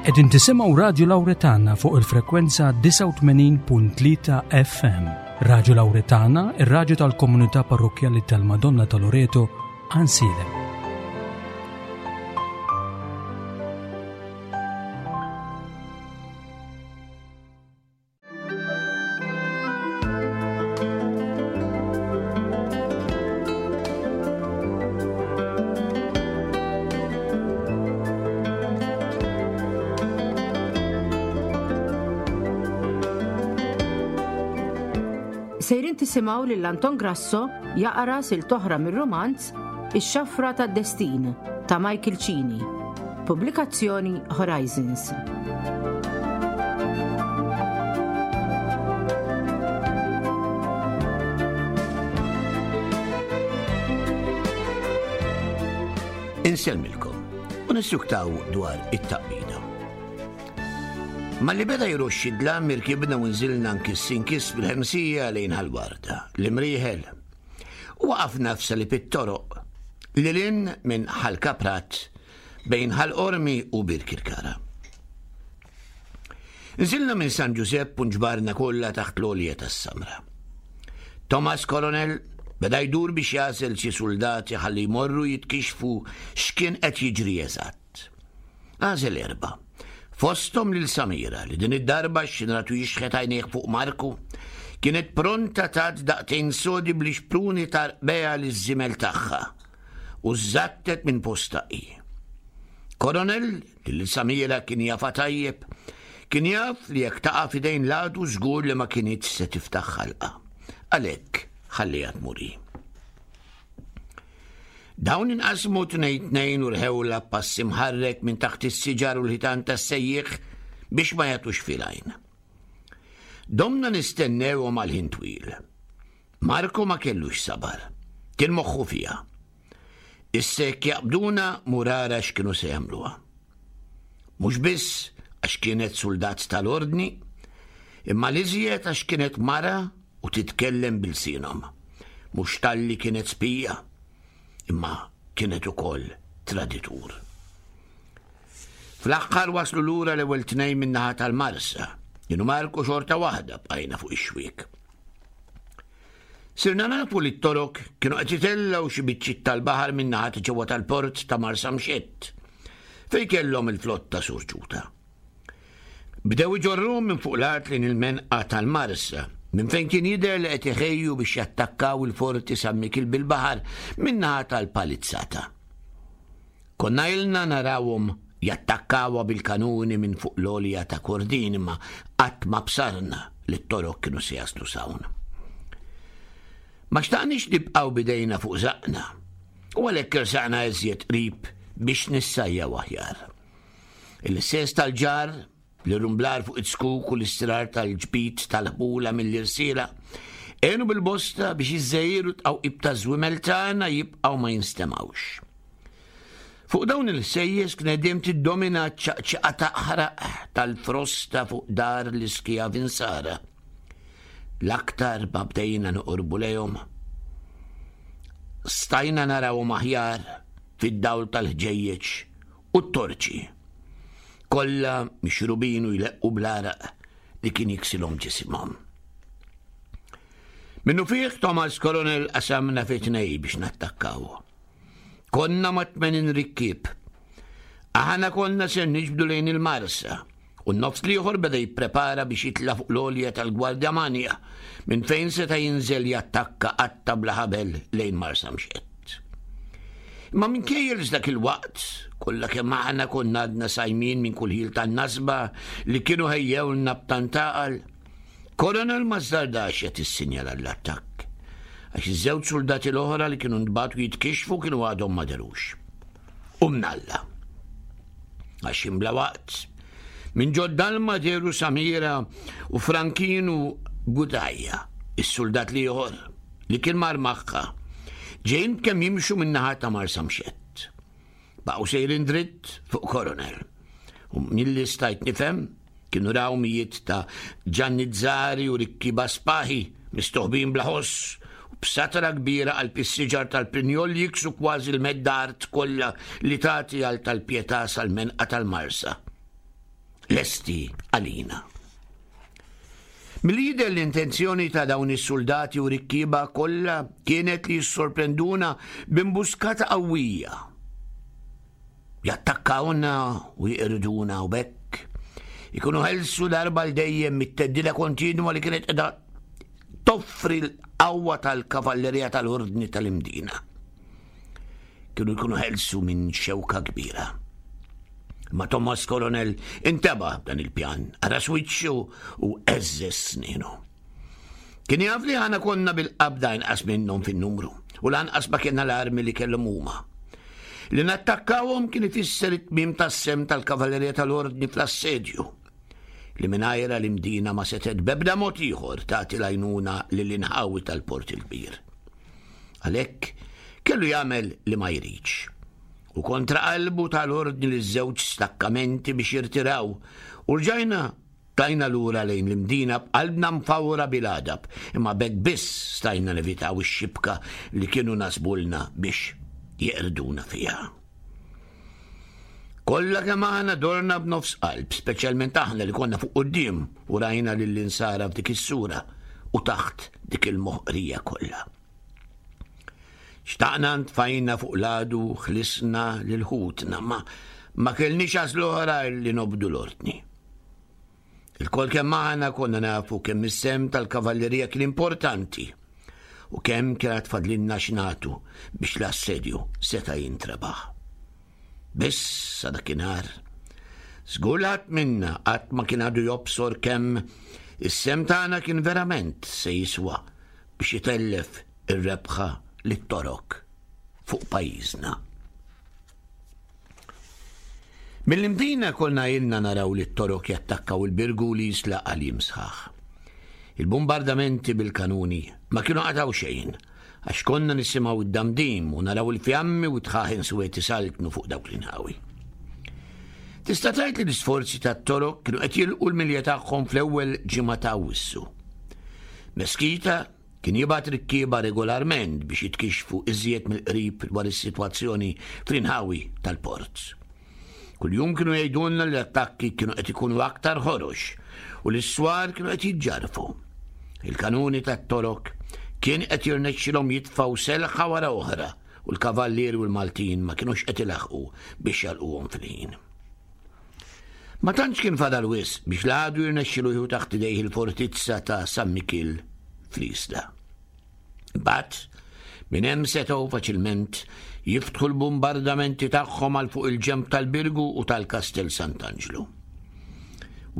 Qegħdin tisimgħu Radju Lawretana fuq il-frekwenza 89.3 FM. Radju Lawretana, ir-radju tal-komunità parrokkjali tal-Madonna ta' Loreto, Ansilem. Sejrin tisimgħu lil Anton Grasso jaqra sil toħra mir-romanz Ix-Xafra tad-Destin ta' Michael Cini. Pubblikazzjoni Horizons. Insellmilkom u nissuktaw dwar it-taqbida. Malli beda jroxxi d-dlam irkibna u nżilna nkiss inkiss bil-ħemsija lejn Ħal-Warda, l-Imrieħel. U waqafna f'salib it-toroq lil hinn minn Ħal Kaprat bejn Ħal Qormi u Birkirkara. Nżilna minn San Ġużepp u nġbarna kollha taħt l-għolja tas-Samra. Thomas Coronel beda jdur biex jagħżel xi suldati ħalli jmorru jitkixxfu x'kien qed jiġri eżatt. Għażel erbgħa. Fosthom lil Samira li din id-darba x'inratu jixħet għajnejh fuq Marku, kienet pronta tat daqtejn sodi bl-ixpruni ta' rqbeha liż-żiemel tagħha u żżattet minn postha hi. Coronel, li lil Samira kien jafha tajjeb, kien jaf li jekk taqa' f'idejn l-għadu żgur li ma kinitx se tiftaħ ħalqha. Għalhekk ħalliha tmur hi. Dawn inqasmu tnejn tnejn u rħewlha b'pass imħarrek minn taħt is-siġar u l-ħitan tas-sejjieħ biex ma jagħtux fil-għajn. Domna nistennewhom għal ħin twil. Marco ma kellux sabar. Kien moħħu fiha. Issa jekk jaqbduna mur ara x'kienu se jagħmluha. Mhux biss għax kienet suldat tal-ordni, imma l-iżjed għax kienet mara u titkellem b'ilsienhom. Mhux talli kienet spija, imma kienet ukoll traditur. Fl-aħħar waslu lura l-ewwel tnejn min-naħa tal-Marsa, jien u Marku xorta waħda bqajna fuq ix-xwiek. Sirna nafu li t-Torok kienu qed itellgħu xi biċċiet tal-baħar min-naħa ta' ġewwa tal-port ta' Marsamxett, fejn kellhom il-flotta surġuta. Bdew iġorruhom minn fuq l-art lejn il-menqa tal-Marsa, minn fejn kien jidher li qed iħejju biex jattakkaw il-Forti San Mikiel bil-baħar min-naħa tal-Palizzata. Konna ilna narawhom jattakkawha bil-kanuni minn fuq l-għolja ta' Kordin imma qatt ma bsarna li t-Torok kienu se jaslu s'hawn. Ma xtaqniex nibqgħu b'idejna fuq żaqqna u għalhekk ersaqna iżjed qrib biex nissajjaw aħjar. Il-sens tal-ġar, l-irrumblar fuq it-zkuk u l-istirar tal-ġbid tal-ħbula mill-irsiela għenu bil-bosta biex iż-żegħir u t-tqawqib taż-żwiemel tagħna jibqgħu ma jinstemgħux. Fuq dawn il-ħsejjes kienet dejjem tiddomina ċ-ċaqċiqa taqħraq tal-frosta fuq dar l-iskjavi nsara. L-aktar ma bdejna noqorbu lejhom, stajna narawhom aħjar fid-dawl tal-ħġejjeġ u t-torċi, kollha mixrubin u jleqqu bl-għaraq li kien jiksilhom ġisimhom. Minnufih Thomas Coronel qasamna fi tnej biex nattakkaw. Konna ma' 80 rikkieb. Aħna konna ser niġbdu lejn il-Marsa u n-nofs l-ieħor beda jipprepara biex jitla' fuq l-għolja tal-Gwardjamanja minn fejn seta' jinżel jattakka qatta bla ħabel lejn Marsamxett. Imma minkejja li f'dak il-waqt kollha kemm aħna konna għadna sajmin minn kull ħil tan-nasba li kienu ħejjewlna b'tant għaqal, Coronel ma żżardax jagħti s-sinjal għall-attakk, għax iż-żewġ suldati l-oħra li kienu ntbagħtu jitkixxfu kienu għadhom ma dherux. U mnalla. Għax imbla waqt, minn ġod-dalma dehru Samira u Frankinu Gudajja, is-suldat l-ieħor li kien mar magħha, ġejjin b'kemm jimxu min-naħa ta' Marsamxett. Baqgħu sejrin dritt fuq Coronel. U milli stajt nifhem, kienu raw mijiet ta' ġannizzari u rikkieba spaħi mistoħbin bla ħoss u b'satra kbira qalb is-siġar tal-prinjol li jiksu kważi l-medda art kollha li tagħti għal tal-Pietà sal-menqa tal-Marsa. lesti għalina. Milli jidher l-intenzjoni ta' dawn is-suldati u rikkieba kollha kienet li jissorprenduna b'imbuskata qawwija. Jattakkawna u jiqirduna u b'hekk ikunu ħelsu darba l dejjem mit-teddida kontinwa li kienet qiegħda toffri l-qawwa tal-kavallerija tal-Ordni tal-Imdina. Kienu jkunu ħelsu minn xewka kbira. Ma Thomas Coronel inteba dan il-pjan, ara wiċċu u eżżeż snienu. Kien jaf li ħana konna bil-qabda inqas minnhom fin-numru u lanqas ma kienna l-armi li kellhom huma. Li nattakkawhom kien ifisser it-tmiem tas-sem tal-kavallerija tal-ordni fl-assedju li mingħajra l-Imdina ma setgħet b'ebda mod ieħor tagħti l-għajnuna lill-inħawi tal-Port il-Kbir. Għalhekk kellu jagħmel li ma jridx. U kontra qalbu tal-ordni li żewġ stakkamenti biex jirtiraw u rġajna tlajna lura lejn l-Imdina b'qalbna mfawra bil-għadab, imma b'hekk biss stajna nevitaw ix-xibka li kienu nasbulna biex jeqrduna fiha. Kollha kemm aħna dorna b'nofs qalb, speċjalment aħna li konna fuq quddiem u rajna lill-insara f'dik is-sura u taħt dik il-moħqrija kollha. Xtaqna ntfajna fuq l-għadu ħlisna lil ħutna, ma ma kellniex għażla oħra li nobdu l-ordni. Ilkoll kemm aħna konna nafu kemm is-sehem tal-kavallerija kien importanti u kemm kien għad fadlilna x'nagħtu biex l-assedju seta' jintrebaħ. Biss sa dakinhar, żgur li ħadd minna qatt ma kien għadu jobsor kemm is-sehem tagħna kien verament se jiswa biex itellef ir-rebħa lit-Torok fuq pajjiżna. Mill-Imdina konna ilna naraw lit-Torok jattakkaw il-Birgu u l-Isla għal jiem sħaħ. Il-bumbardamenti bil-kanuni ma kienu qatgħu xejn, għax konna nisimgħu d-damdim u naraw il-fjammi u d-dħaħen suwed isaltnu fuq dawk l-inħawi. Tista' tgħid li l-isforzi tat-Torok kienu qed jilqu l-milja tagħhom fl-ewwel ġimgħa ta' Awwissu. Meskita Kien jibgħat rikkieba regolarment biex jitkixxfu iżjed mill-qrib dwar is-sitwazzjoni fl-inħawi tal-port. Kuljum kienu jgħidulna li l-attakki kienu qed ikunu aktar ħorox u li s-swar kienu qed jiġġarrfu. Il-kanuni tat-Torok kien qed jirnexxilhom jitfgħu selħa wara oħra u l-kavallieri u l-Maltin ma kinux qed ilaħħqu biex jagħlquhom fil-ħin. Ma tantx kien fadal wisq biex l-għadu jirnexxilu jieħu taħt idejh il-fortizza ta' San Mikiel fl-Isla. Imbagħad, minn hemm setgħu faċilment jiftħu l-bumbardamenti tagħhom għal fuq il-ġenb tal-Birgu u tal-Kastell Sant'Anġlu.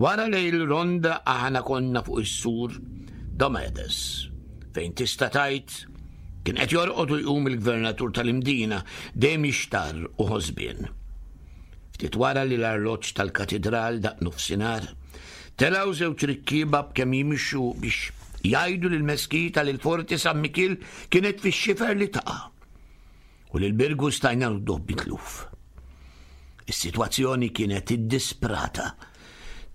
Wara lejl ronda aħna konna fuq is-sur Domedes, fejn tista' tgħid kien qed jorqod u jqum il-gvernatur tal-Imdina dejjem jixtarr u ħosbien. Ftit wara li l-arloġġ tal-katidral daqq nofsinhar, telgħu żewġ rikkieba b'kemm jimxu biex jgħidu lill-meskita li l-Forti San Mikiel kienet fix-xifer li taqa' u li l-Birgu stajna nudduh mitluf. Is-sitwazzjoni kienet iddisprata,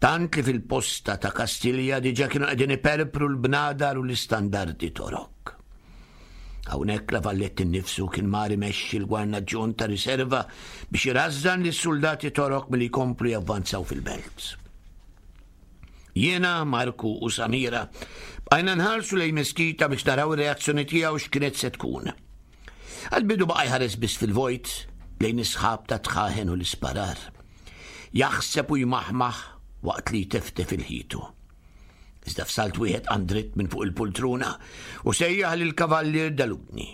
tant li fil-posta ta' Kastilja diġà kienu qegħdin iperpru l-bnadar u l-istandardi Torok. Hawnhekk La Vallette innifsu kien mar imexxi l-gwarnaġġjon ta' riserva biex irażżan lis-suldati Torok milli jkomplu javvanzaw fil-belt. Jiena, Marku u Samira bqajna nħarsu lejn Meskita biex naraw ir-reazzjoni tiegħu x'kienet se tkun. Għall-bidu baqa' jħares biss fil-vojt lejn is-sħab ta' tħaħen u l-isparar. Jaħseb u jmaħmaħ waqt li jteftef il-ħitu. Iżda f'salt wieħed qam dritt minn fuq il-pultruna u sejjaħ lill-Kavallier Dalugni.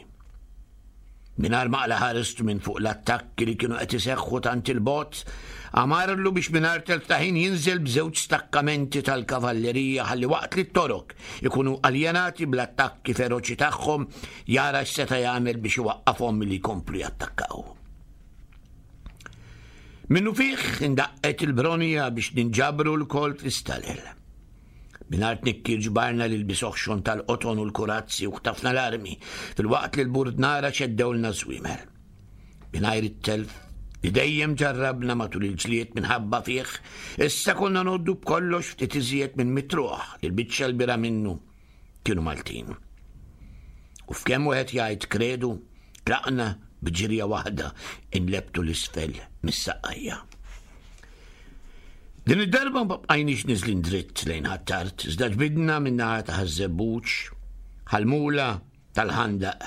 Mingħajr ma qla ħaristu minn fuq l-attakki li kienu qed iseħħu tant il-bogħod, amarlu biex mingħajr telf ta' ħin jinżel b'żewġ stakkamenti tal-kavallerija ħalli waqt li t-Torok ikunu aljenati bl-attakki feroċi tagħhom jara x'seta' jagħmel biex iwaqqafhom milli jkomplu jattakkaw. Minnufih indaqqet il-bronja biex ninġabru lkoll fl-istalel. Mingħajr tnikkir ġbarna l-ilbies oħxon tal-qoton u l-kurazzi u ħtafna l-armi, filwaqt li l-burdnara ċeddewlna ż-żwiemel. Mingħajr it-telf li dejjem ġarrabna matul il-ġlied minħabba fih, issa konna ngħoddu b'kollox ftit iżjed minn mitruħ li l-biċċa l-bira minnu kienu Maltin. U f'kemm wieħed jgħid kredu, tlaqna b'ġirja waħda inlebtu l-isfel mis-saqqajja. Din id-darba ma bqajniex niżlin dritt lejn Ħ'Attard, iżda ġbidna min-naħa ta' Ħaż-Żebbuġ, Ħal-Mula, tal-Ħandaq,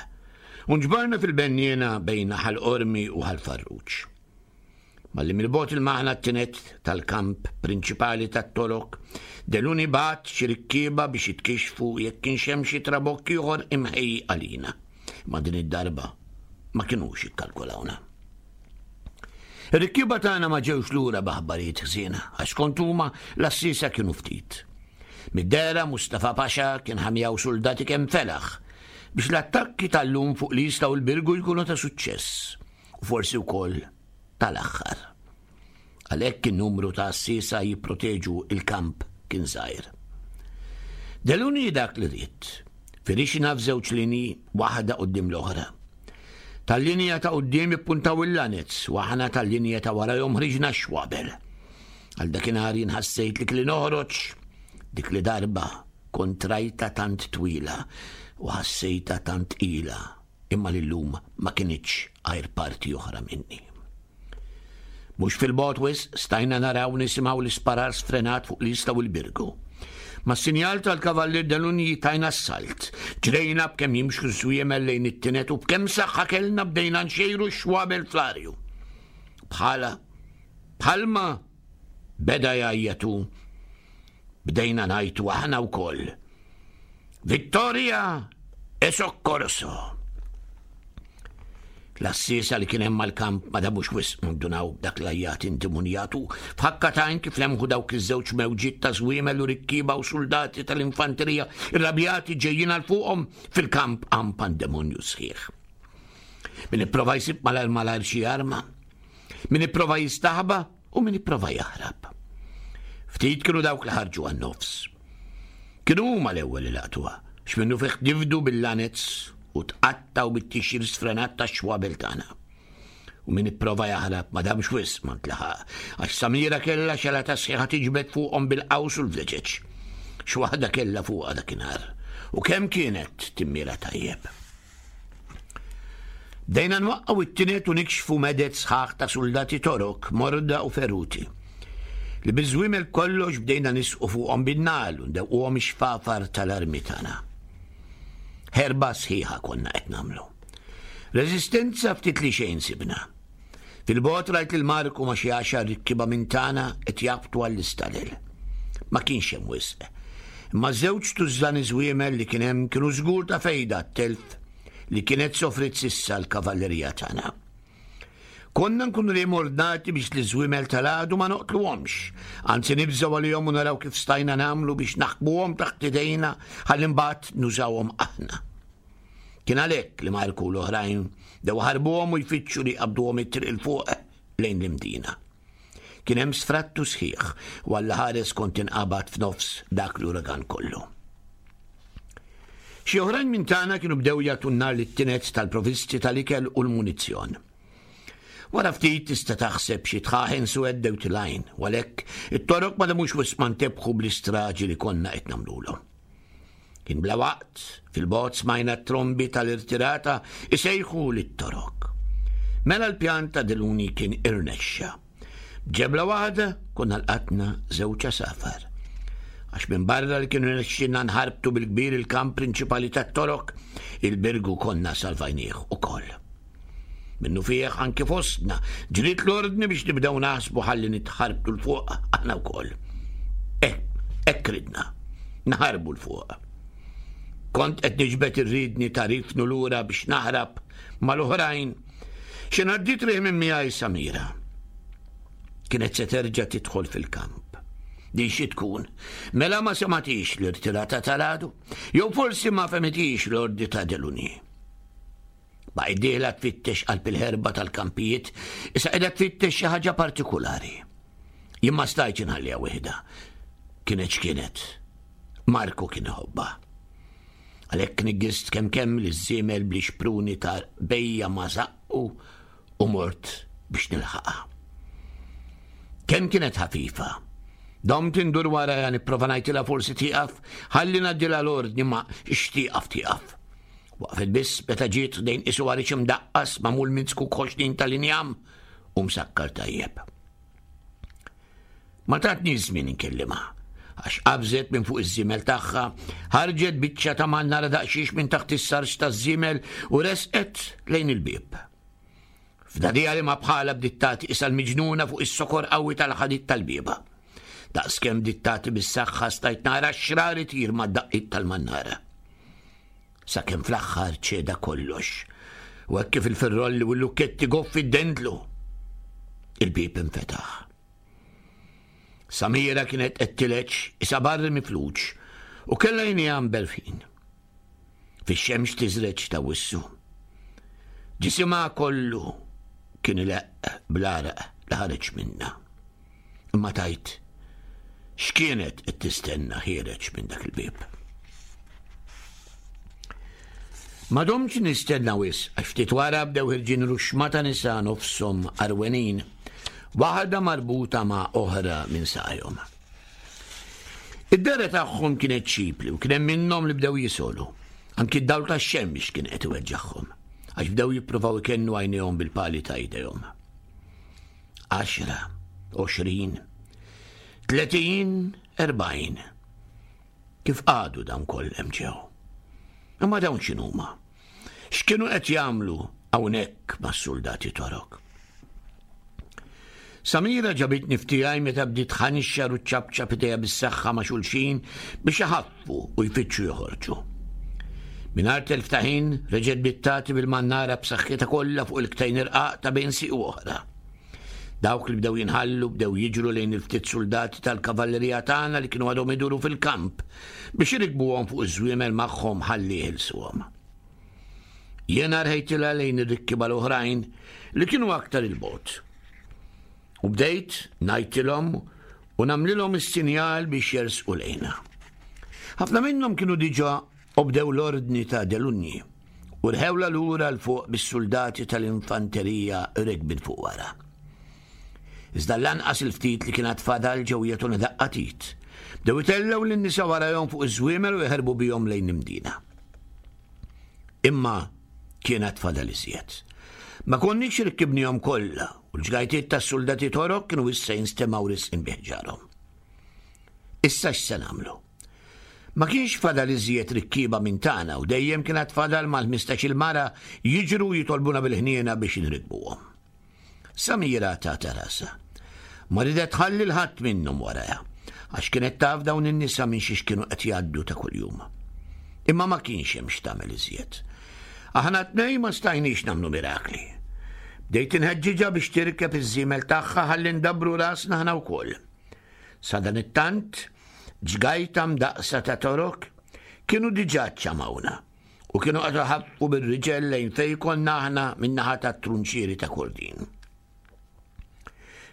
u nġbarna fil-benniena bejn Ħal Qormi u Ħal Farruġ. Malli mill-bogħod ilmaħna t-tined tal-kamp prinċipali tat-Torok, Deluni bagħat xi rikkieba biex jitkixxfu jekk kienx hemm xi trabokk ieħor imħejji għalina. Imma din id-darba ma kinux ikkalkulawna. Ir-rikkieba tagħna ma ġewx lura b'aħbarijiet ħżiena, għax skont huma l-għassiesa kienu ftit. Mid-dehra Mustafa Pasha kien ħa miegħu suldati kemm felaħ biex l-attakki tal-lum fuq l-Isla u l-Birgu jkunu ta' suċċess u forsi wkoll tal-aħħar. Għalhekk in-numru ta' għassiesa jipproteġu l-kamp kien żgħir. Deluni dak li ried. Firixna f'żewġ linji, waħda quddiem l-oħra. Tal-linja ta' quddiem ippuntaw il-lanez u aħna tal-linja ta' warajhom ħriġna x-xwabel. Għal dakinhar jien ħassejt li kelli noħroġ dik li darba kont rajta tant twila u ħassejta tant tqila imma li llum ma kinitx għajr parti oħra minni. Mhux fil-bogħod wisq stajna naraw nisimgħu l-isparar sfrenat fuq l-Isla u l-Birgu. Mas-sinjal tal-Kavallier Delunji tajna s-salt. Ġrejna b'kemm jimxu ż-żwiemel lejn it-tinet u b'kemm saħħa kellna bdejna nxejru x-xwabel fl-arju. Bħala, bħalma beda jgħajjatu, bdejna ngħajtu aħna wkoll. Vittoria e soccorso! L-għassiesa li kien hemm mal-kamp ma damux wisq ma ndunaw b'dak l-għajjat indimunjat u f'ħakka t'għajn kif lemħu dawk iż-żewġ mewġiet ta' żwiemel u rikkieba u suldati tal-infanterija irrabjati ġejjin għal fuqhom fil-kamp qam pandemonju sħiħ. Min ipprova jsib malajr malajr xi arma, min ipprova jistaħba u min ipprova jaħrab. Ftit kienu dawk li ħarġu għan-nofs. Kienu huma l-ewwel li laqtuha, x'minnu fih tifdu bil-lanez u tqattgħu bit-tixjir sfrenat tax-xwabel tagħna. U min ipprova jaħrab ma damx wisq ma ntlaħaq, għax Samira kellha xelata sħiħa tiġbed fuqhom bil-qaws u l-vleġeġ. X'waħda kellha fuqha dakinhar, u kemm kienet timmira tajjeb. Bdejna nwaqqgħu it-tined u nikxfu meded sħaħ ta' suldati Torok, morda u feruti, li biż-żwiemel b'kollox bdejna nisqu fuqhom bin-nagħal u ndewquhom ix-xfafar tal-armi tagħna. Ħerba sħiħa konna qed nagħmlu. Reżistenza ftit li xejn sibna. Fil-bogħod rajt lil Marku ma' xi għaxar rikkiba minn tagħna qed jaħbtu għall-istalel. Ma kienx hemm wisq. Imma żewġ tużżani żwiemel li kien hemm kienu żgur ta' fejda għat-telf li kienet sofriet s'issa l-kavallerija tagħna. Konna nkunu dejjem ordnati biex l-iżwiemel tal-għadu ma noqtluhomx, anzi nibżgħu għalihom u naraw kif stajna nagħmlu biex naħkmuhom taħt idejna ħalli mbagħad nużawhom aħna. Kien għalhekk li Marku u l-oħrajn dew ħarbuhom u jfittxu li jqabduhom it-triq il fuq lejn l-Imdina. Kien hemm sfrattu sħiħ u Alla ħares kont inqabad f'nofs dak l-uragan kollu. Xi oħrajn minn tagħna kienu bdew jagħtu n-nar lit-tinez tal-provisti tal-ikel u l-munizzjon. Wara ftit tista' taħseb xi tħaħen suwed dew tilgħin, u għalhekk it-torok ma demux wisq ma ntebħu bl-istraġi li konna qed nagħmlulhom. Kien bla waqt, fil-bogħod smajna t-trombi tal-irtirata isejħu lit-Torok. Mela l-pjan ta' Deluni kien irnexxa. B'ġebla waħda konna lqatna żewġ għasafar. Għax minn barra li kienu rnexxilna nħarbtu bil-kbir il-kamp prinċipali tat-Torok, il-Birgu konna salvajnieh ukoll. Minnufih anki fostna ġriet l-ordni biex nibdew naħsbu ħalli nitħarbtu 'l fuq aħna wkoll. Eh, hekk ridna. Naħarbu 'l fuq. Kont qed niġbed ir-riedni ta' rifnu lura biex naħrab mal-oħrajn. Xi ngħaddiet riħ minn miegħi Samira. Kienet se terġa' tidħol fil-kamp. Din xi tkun? Mela ma sematix l-irtirata tal-għadu? Jew forsi ma fehmitix l-ordi ta' Deluni? Baqgħet dieħla tfittex qalb il-ħerba tal-kampijiet, issa qiegħda tfittex xi ħaġa partikulari. Jien ma stajtx inħalliha waħedha. Kienet x'kienet. Marku kien iħobbha. Għalhekk niggist kemm kemm li żiemel bli xpruni ta' bejja ma zaqqu u mort biex nilħaqha. Kemm kienet ħafifa. Domt indur warajha nipprova ngħidilha forsi tieqaf, ħalli ngħaddilha l-ordni ma x'tieqaf tieqaf. Waqfet biss meta ġiet ħdejn qisu għarix imdaqqas magħmul minn zkuk ħoxnin tal-injam u msakkar tajjeb. Ma tatniex żmien inkellimha, għax qabżet minn fuq iż-żiemel tagħha, ħarġet biċċa ta' mannara daqsxiex minn taħt is-sarġ taż-żiemel u resqet lejn il-bieb. F'dagħdigħa li ma bħalha bdiet tagħti qisha l-miġnuna fuq is-sokor qawwi tal-ħadid tal-bieba. Daqskemm bdiet tagħti bis-saħħa stajt nara x-xrar itir mad-daqqiet tal-mannara. Sakemm fl-aħħar ċeda kollox. U hekk kif il-firrolli u l-lukketti goffi ddendlu. Il-bieb infetaħ. Samira kienet qed tileġ isa barri mifluġ u kellha għajnejha mberfin. Fix-xemx tiżreġ ta' wissu. Ġisimha kollu kien ileqq bl-għaraq li ħareġ minnha. Imma tajt x'kienet qed tistenna ħiereġ minn dak il-bieb. Ma domtx nistenna wisq għax ftit wara bdew ħirġin ruxxma ta' nisa nofshom għarwenin, waħda marbuta ma' oħra minn saqajhom. Id-dehra tagħhom kienet ċipli u kien hemm minnhom li bdew jisolu. Anki d-dawl tax-xemx kien qed iweġġagħhom għax bdew jippruvaw ikennu għajnejhom bil-pali ta' idejhom. 10, 20, 30, 40. Kif qagħdu dawn koll hemm ġew? Imma dawn x'inhuma? X'kienu qed jagħmlu hawnhekk mas-suldati Torok? Samira ġabitni f'tiegħi meta bdiet tħanxar u ċċapċap idejha bis-saħħa ma' xulxin biex iħaffu u jfittxu joħorġu. Mingħajr telf ta' ħin reġgħet bdiet tagħti bil-mannara b'saħħitha kollha fuq il-ktajn irqaq ta' bejn sieq u oħra. Dawk li bdew jinħallu bdew jiġru lejn il-ftit suldati tal-kavallerija tagħna li kienu għadhom iduru fil-kamp biex irikbuhom fuq iż-żwiemel magħhom ħalli jeħilsuhom. Jiena rħejtilha lejn ir-rikkiba l-oħrajn li kienu aktar il-bogħod. U bdejt ngħidtilhom u nagħmlilhom is-sinjal biex jersqu lejna. Ħafna minnhom kienu diġà obdew l-ordni ta' Delunji u rħewla lura 'l fuq bis-suldati tal-infanterija rekbin fuq wara. Iżda lanqas il-ftit li kien għad fadal ġew jagħtuna daqqa t'id. Bdew itellgħu lin-nisa warajhom fuq iż-żwiemel u jaħarbu bihom lejn l-Imdina. Imma kien għad fadal iżjed. Ma konniex rikkibnihom kollha u l-ġgajtiet tas-suldati Torok kienu issa jinstemgħu risqin bi ħġarhom. Issa x'se nagħmlu? Ma kienx fadal iżjed rikkieba minn tagħna u dejjem kien għad fadal mal-ħmistax-il mara jiġru u jitolbuna bil-ħniena biex inrikkbuhom. Samira tata rasha. Ma ridet tħalli 'l ħadd minnhom warajha, għax kienet taf dawn in-nisa minn xiex kienu qed jgħaddu ta' kuljum. Imma ma kienx hemm x'tagħmel iżjed. Aħna t-tnejn ma stajniex nagħmlu mirakli. Bdejt inħeġġiġha biex tirkeb iż-żiemel tagħha ħalli ndabbru rasna aħna wkoll. Sadanittant, ġgajta mdaqqsa ta' torok kienu diġà ċċamawna u kienu qed iħaffu bir-riġel lejn fejn konna aħna min-naħa tat-trunċieri ta' Kordin.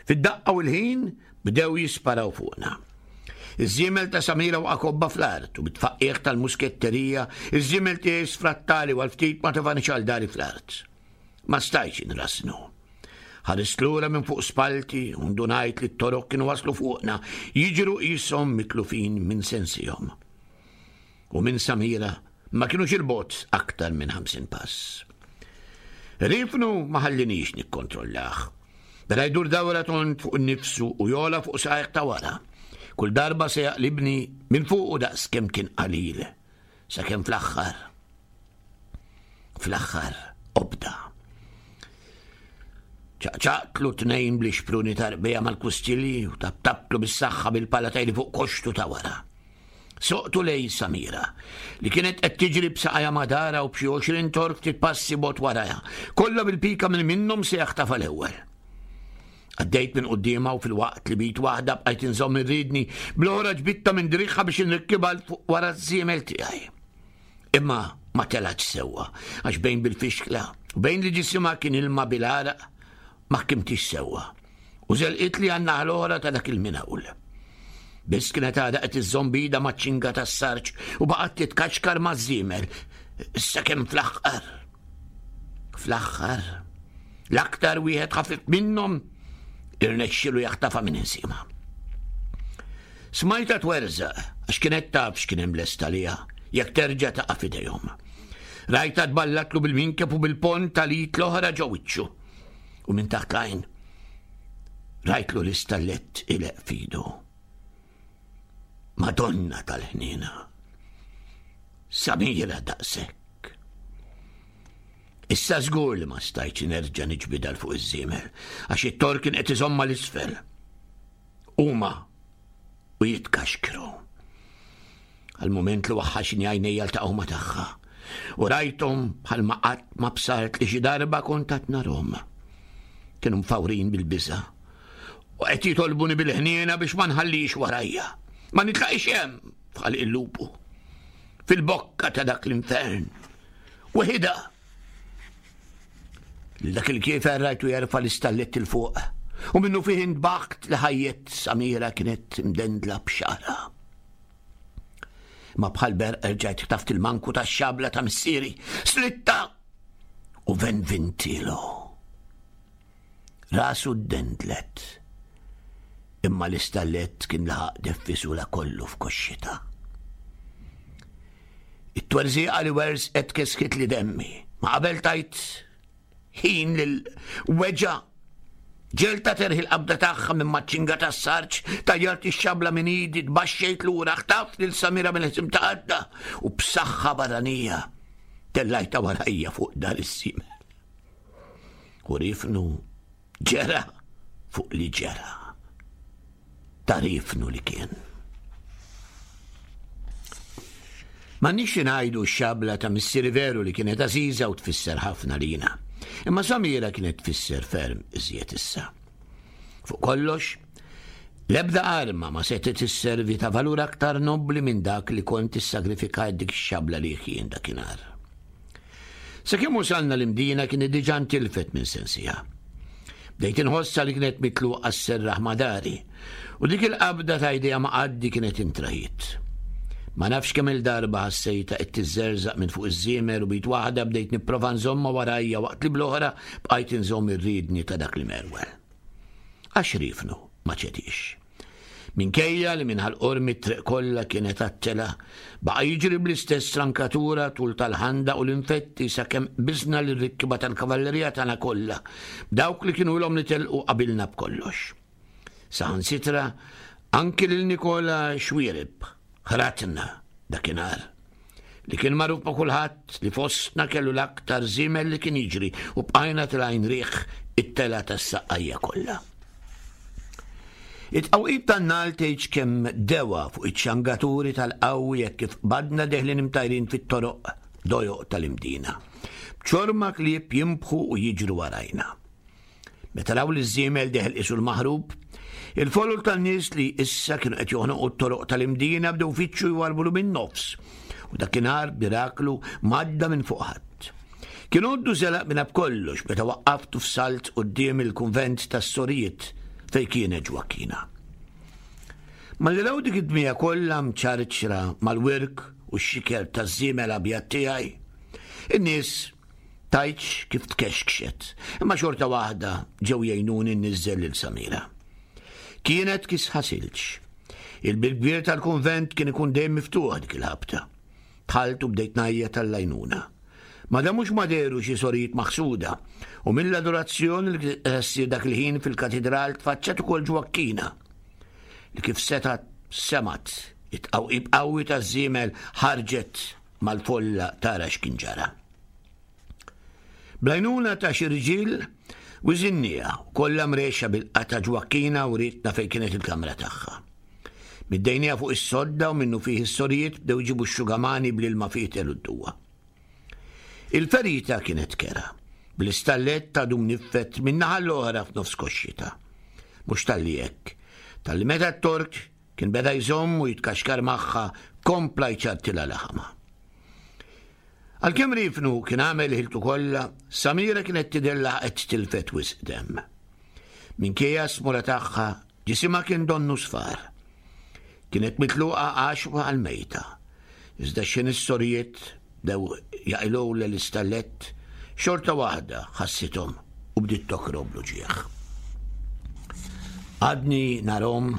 Fid-daqqa u l-ħin bdew jisparaw fuqna. Iż-żiemel ta' Samira waqa' kobba fl-art u bit-tfaqqiegħ tal-musketterija, iż-żiemel tiegħi sfrattali u għal ftit ma tefanix għal dari fl-art. Ma stajtx inrassnu. Ħarist lura minn fuq spalti u ndunajt li t-torok kienu waslu fuqna, jiġru qishom mitlufin minn sensihom. U minn Samira ma kinux il-bogħod aktar minn 50 pass. Rifnu ma ħallinix nikkontrollah. Beda jdur dawra tond fuq nifsu u jola fuq saqajh ta' wara. Kull darba se jaqlibni minn fuqu daqs kemm kien qalil, sakemm fl-aħħar Fl-aħħar obda. Ċaqċaqtlu tnejn bl-ixpruni tarbija mal-kustilji u tabtabtlu bis-saħħa bil-pala tajli fuq koxtu ta' wara. Soqtu lej Samira, li kienet qed tiġri b'saqajha madara u b'xi 20 tork ftit passi bot warajha, kollha bil-pika minn minnhom se jaħtafha l-ewwel. Għaddejt minn quddiemha u filwaqt li b'id waħda bqajt inżomm ir-riedni, bl-oħra ġbidtha minn driegħha biex inrikkibha fuq wara ż-żiemel tiegħi. Imma ma telgħetx sewwa, għax bejn bil-fixkla u bejn li ġisimha kien ilma bil-għaraq ma ħkimtix sewwa u żelqitli għan-naħa l-oħra ta' dak il-minawl. Biss kienet għadha qed iżżomm b'idha maċ-ċinga tas-sarġ u baqgħet titkaxkar maż-żiemel sakemm fl-aħħar fl-aħħar l-aktar wieħed ħafif minnhom irnexxielu jaħtafha minn insiema. Smajtha twerżaq għax kienet taf x'kien hemm lest għaliha jekk terġa' taqa' f'idejhom. Rajtha tballatlu bil-minkeb u bil-pont tal-id l-oħra ġo wiċċu. U minn taħt l-għajn. Rajtlu l-istallett ileq fidu. Madonna tal-ħniena. Samira daqshekk. Issa żgur li ma stajtx nerġa' niġbidha 'l fuq iż-żiemel għax it-tor kien qed iżommha 'l isfel. Huma u jitkaxkru. Għal mument li waħħaxni għajnejja ltaqgħu ma' tagħha u rajthom bħalma qatt ma bsart li xi darba kont għad narhom. Kienu mfawrin bil-biża' u qed jitolbuni bil-ħniena biex ma nħallix warajja. Ma nitlaqix hemm bħal il-lupu. Fil-bokka ta' dak l-infern. Weħida. Lil dak il-kiefer rajtu jerfa' l-istallett 'il fuq u minnu fih intbaħt li ħajjet Samira kienet mdendla b'xagħarha. Ma bħal berq erġajt ħtaft il-manku tax-xabla ta' missieri, slitta u venvintilu. Rasu ddendlet, imma l-istallett kien laħaq deffisula kollu f'koxxitha. It-twerżieqa li werżqet keskitli demmi, ma qabel tajt ħin lil weġa' ġelta terħi l-qabda tagħha minn maċ-ċinga tas-sarġ, tajjart ix-xabla minn idi, tbaxxejt lura, ħtaft lil Samira mill-ħsim ta' għadda u b'saħħa barranija tellajtha warajja fuq dar is-simel. U rifnu ġera fuq li ġera. Ta' rifnu li kien. Ma nix ngħidu x-xabla ta' missieri veru li kienet għażiża u tfisser ħafna lina. Imma Samira kienet tfisser ferm iżjed issa. Fuq kollox, l-ebda arma ma setgħet isservi ta' valur aktar nobbli minn dak li kont issagrifikajt dik ix-xabla li jien dakinhar. Sakemm wasalna l-Imdina kienet diġà ntilfet minn sensiha. Bdejt inħossha li kienet mitluqa sserraħ ma' dari, u dik il-qabda ta' idejha ma' qaddi kienet intrahiet. Ma nafx kemm-il darba ħassejtha qed tiżżerżaq minn fuq iż-żiemer u b'id waħda bdejt nipprova nżommha warajja waqt li bl-oħra bqajt inżomm ir-riedni ta' dak l-imerwel. Għax riefnu ma ċediex. Minkejja li minn Ħal Qormi t-triq kollha kienet għat-telgħa, baqa' jiġri bl-istess strankatura tul tal-ħandaq u l-infetti sakemm qbiżna lir-rikkiba tal-kavallerija tagħna kollha, b'dawk li kienu ilhom li telqu qabilna b'kollox. Saħansitra anki lil Nikola Xuereb ħratna dakinhar. Li kien magħruf ma' kulħadd li fostna kellu l-aktar żiemel li kien jiġri u bqajna tilgħin riħ it-telgħa tas-saqqajja kollha. It-tqawqib tan-nagħal tgħidx kemm dewa fuq iċ-ċangaturi tal-qawwi hekk kif qbadna deħlin imtajrin fit-toroq dojoq tal-Imdina. B'ċorma klieb jinbħu u jiġru warajna. Meta raw li ż-żiemel deħel qisu l-maħrub, il-folol tan-nies li issa kienu qed joħnoqu t-toroq tal-Imdina bdew fittxu jwarbulu min-nofs u dakinhar b'miraklu m'għadda minn fuq ħadd. Kien għoddu żelaq minna b'kollox meta waqqaftu f'salt quddiem il-kunvent tas-sorijiet fejn kienet Ġwakkina. Malli raw dik id-dmija kollha mċarċra mal-wirk u x-xiker taż-żiemel abjad tiegħi, in-nies Tgħidx kif tkexkxet, imma xorta waħda ġew jgħinuni nniżżel lil Samira. Kienet kisħa silġ. Il-bieb kbir tal-kunvent kien ikun dejjem miftuħ dik il-ħabta. Dħalt u bdejt ngħajjat għall-għajnuna. Ma damux ma dehru xi sorijiet maħsuda u mill-adorazzjoni li kienet qed ssir dak il-ħin fil-katidral tfaċċat ukoll Ġwakkina li kif setgħet semgħet it-tqawqib qawwi taż-żiemel ħarġet mal-folla tara x'kien ġara. Bl-għajnuna ta' xi rġiel wiżinniha kollha mrexxa bil-qata' Ġwakkina wrietna fejn kienet il-kamra tagħha. Middejniha fuq is-sodda u minnufih is-sorijiet bdew iġibu x-xugamani bl-ilma fietel u d-duwa. Il-ferita kienet kerha, bl-istallett għadu mniffed min-naħa l-oħra f'nofs koxxitha. Mhux talli hekk, talli meta t-Tork Kien beda jżomm u jitkaxkar magħha kompla jċartilha laħamha. Għalkemm Rifnu kien għamel ħiltu kollha, Samira kienet tidher laqgħet tilfet wisq demm. Minkejja s-smura tagħha, ġisimha kien donnu sfar. Kienet mitluqa għaxwa għal mejta. Iżda x'ħin is-sorijiet bdew jaqilgħulha l-istallett, xorta waħda ħassithom u bdiet tokrob bl-uġigħ. Għadni narhom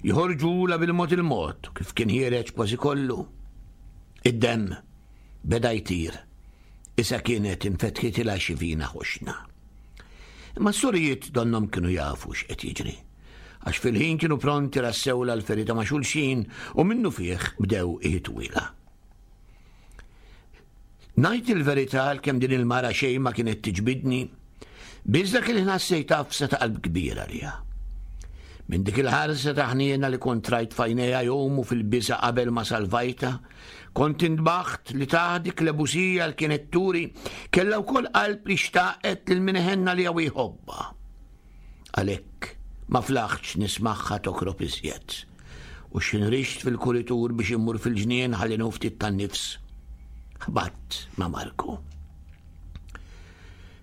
joħorġulha bil-mod il-mod kif kien ħiereġ kważi kollu. Id-demm beda jtir. Issa kienet infetħitilha xi vina ħoxna. Imma s-sorijiet donnhom kienu jafu x'qed jiġri. Għax fil-ħin kienu pronti rassewlha l-ferita ma' xulxin u minnufih bdew iħitwilha. Ngħid il-verità għalkemm din il-mara xejn ma kienet tiġbidni, biss dak il-ħin ħassejt għafsa ta' qalb kbira għaliha. Minn dik il-ħarsa ta' ħniena li kont rajt f'għajnejha jgħumu fil-biża' qabel ma salvajtha, kont intbaħt li taħt dik l-ebusija li kienet turi kellha wkoll qalb li xtaqet lil min iħenn għaliha u jħobbha. Għalhekk ma flaħtx nismagħha tokrob iżjed. U x'inrixt fil-kuritur biex immur fil-ġnien ħalli nieħu ftit tan-nifs. Ħbatt ma' Marku.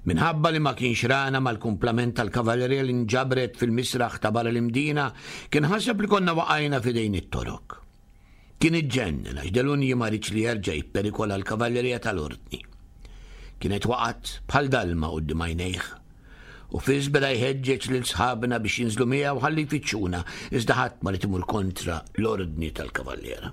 Minħabba li ma kienx rana mal-kumplament tal-kavallerija li nġabret fil-misraħ ta' barra l-Imdina, kien ħaseb li konna waqajna f'idejn it-Torok. Kien iġġennen għax Delunji ma riedx li jerġa' jipperikola l-kavallerija tal-Ordni. Kienet waqgħet bħal dalma quddiem għajnejh. U fis beda jħeġġeġ lil sħabna biex jinżlu miegħu ħalli jfittxuna, iżda ħadd ma ried imur kontra l-ordni tal-kavalliera.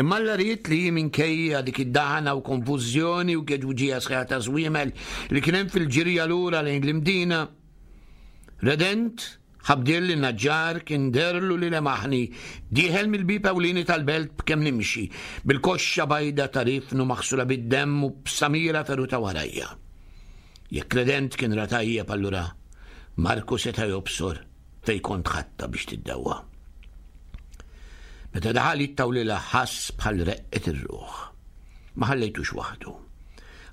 Imma Alla ried li minkejja dik id-daħna u konfużjoni u geġuġija sħiħa ta' żwiemel li kien hemm fil-ġirja lura lejn l-Imdina, Redent Ħabdiel li n-naġġar kien deherlu li lemaħni dieħel mill-bieb ewlieni tal-belt b'kemm nimxi, bil-koxxa bajda ta' rifnu maħsula bid-demm u b'Samira feruta warajja. Jekk Redent kien ra tajjeb allura Marku seta' jobsor fejn kont ħadtha biex tiddewwa. Meta daħal jittawlilha ħass bħal reqqet ir-ruħ. Ma ħallejtux waħdu.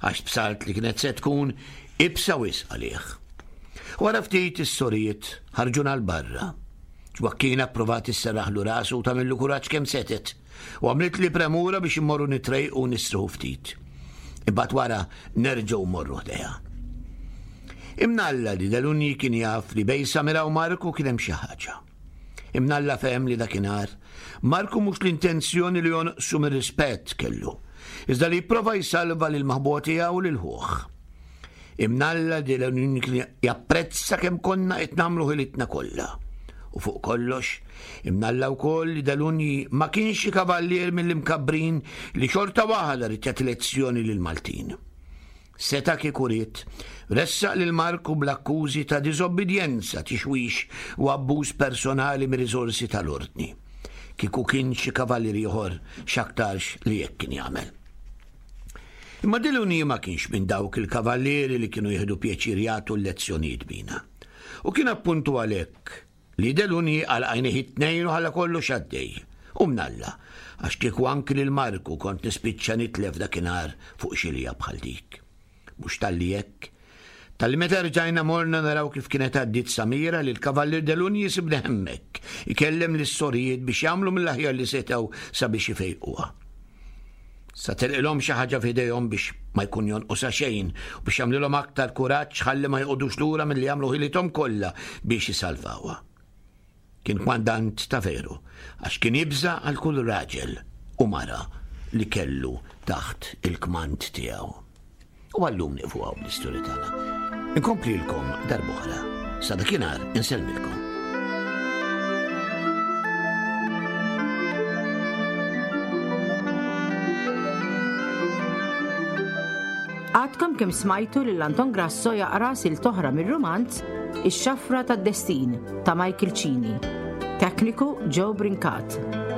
Għax bsart li kienet se tkun ibsa wisq għalih. Wara ftit is-sorijiet ħarġuna 'l barra. Ġwakkina pprovat isserraħlu rasu u tagħmillu kuraġġ kemm setgħet u għamlitli premura biex immorru nitrejqu u nistrieħu ftit. Imbagħad wara nerġgħu mmorru ħdejha. Imnalla li Delunji kien jaf li bejn Samira u Marku kien hemm xi ħaġa. Imnalla fehem li dakinhar Marku mhux l-intenzjoni li jonqsu mir-rispett kellu, iżda li jipprova jsalva lill-maħbuba tiegħu u lil ħuh. Imnalla li l-Unjoni kien japprezza kemm konna qed nagħmlu ħilitna kollha. U fuq kollox, imnalla wkoll li Delunji ma kienx xi kavallier mill-imkabbrin li xorta waħda ried jagħti lezzjoni lill-Maltin. Seta' kieku ried, ressaq lil Marku bl-akkużi ta' diżobbidjenza, tixwix u abbuż personali mir-riżorsi tal-Ordni. Kieku kien xi kavallier ieħor, x'aktarx li hekk kien jagħmel. Imma Deluni ma kienx minn dawk il-kavallieri li kienu jieħdu pjaċir jagħtu l-lezzjonijiet bina. U kien appuntu għalhekk li Deluni għalaq għajnejh it-tnejn u ħalla kollox għaddej. U mnalla, għax kieku anki lil Marku kont nispiċċa nitlef dakinhar fuq xilja bħal dik. Mhux talli hekk, talli meta rġajna morna naraw kif kienet għaddiet Samira li l-Kavallier de Lugny sibna hemmhekk, ikellem lis-sorijiet biex jagħmlu mill-aħjar li setgħu sabiex ifejquha. Sa telqilhom xi ħaġa f'idejhom biex ma jkun jonqosha xejn u biex jagħmlilhom aktar kuraġġ ħalli ma joqogħdux lura milli jagħmlu ħilithom kollha biex isalvawha. Kien kmandant ta' veru, għax kien jibża' għal kull raġel u mara li kellu taħt il-kmand tiegħu. U għallum nieqfu hawn bl-istorja tagħna. Inkomplilkom darb'oħra. Sa dakinhar insellmilkom. Għadkom kemm smajtu lil Anton Grasso jaqra silt oħra mir-rumanz Ix-Xafra tad-Destin ta' Michael Cini. Tekniku Joe Brincat.